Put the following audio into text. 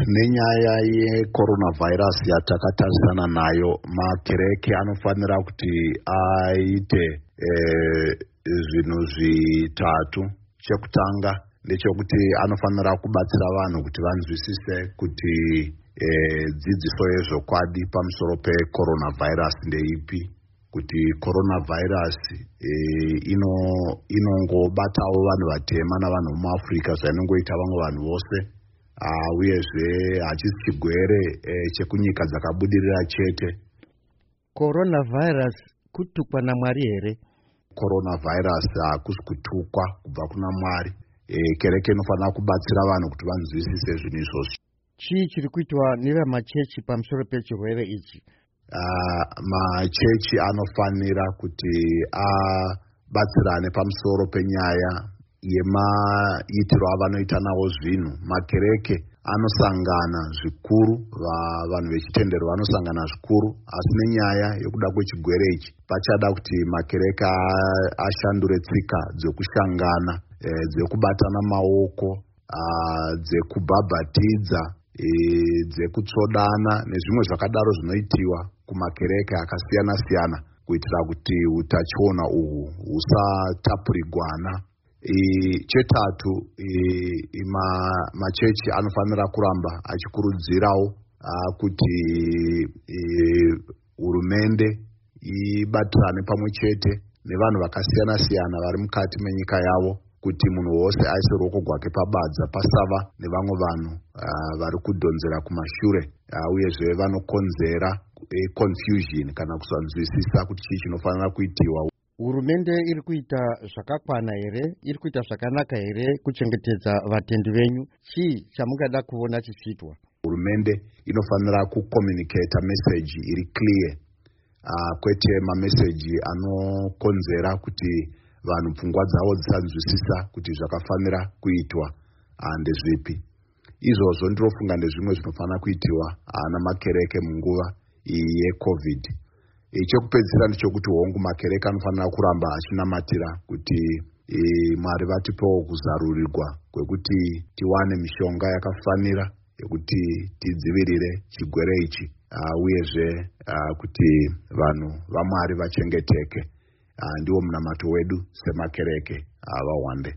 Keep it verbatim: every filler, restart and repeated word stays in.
Nenyaya yecoronavirus yatakatarisana nayo, makereke anofanira kuti aite e, zvinhu zvitatu. Chekutanga ndechekuti anofanira kubatsira vanhu kuti vanzwisise kuti e, dzidziso yezvokwadi pamusoro pecoronavirus ndeipi, kuti coronavirus e, inongobatawo ino vanhu vatema navanhu vemuAfrica zvainongoita vamwe vanhu vose, uh, uyezve hachisi chigwere e, chekunyika dzakabudirira chete. Coronavirus kutukwa naMwari here? Coronavirus hakusi kutukwa kubva kuna Mwari. e, kereke inofanira kubatsira vanhu kuti vanzwisise zvinhu izvozvo. Chii chiri kuitwa nevamachechi pamusoro pechirwere ichi? uh, machechi anofanira kuti abatsirane pamusoro penyaya yemaitiro avanoita nawo zvinhu. Makereke anosangana zvikuru, vanhu vechitendero vanosangana zvikuru, asi nenyaya yekuda kwechigwere ichi pachada kuti makereke ashandure tsika dzekushangana, e, dzekubatana maoko, dzekubhabhatidza, e, dzekutsvodana nezvimwe zvakadaro zvinoitiwa kumakereke akasiyana siyana, kuitira kuti utachiona uhwu husatapurigwana. E, chetatu e, ma, machechi anofanira kuramba achikurudzirawo kuti hurumende ibatirane pamwe chete nevanhu vakasiyana siyana vari mukati menyika yavo, kuti munhu wose aise ruoko gwake pabadza, pasava nevamwe vanhu uh, vari kudhonzera kumashure, uh, uyezve vanokonzera confusion kana kusanzwisisa kuti chii chinofanira kuitiwa. Hurumende iri kuita zvakakwana here? Iri kuita zvakanaka here kuchengetedza vatendi venyu? Chii chamungada kuona chichiitwa? Hurumende inofanira kucommunicata message iri clear, uh, kwete mameseji anokonzera kuti vanhu pfungwa dzavo dzisanzwisisa kuti zvakafanira kuitwa ndezvipi. Izvozvo ndinofunga ndezvimwe zvinofanira kuitiwa namakereke munguva iyi yeCOVID. Chekupedzisira ndechekuti, hongu, makereke anofanira kuramba achinamatira kuti e, Mwari vatipewo kuzarurirwa kwekuti tiwane mishonga yakafanira yekuti tidzivirire chigwere ichi, uyezve kuti vanhu vaMwari vachengeteke. Ndiwo munamato wedu semakereke. VaWande.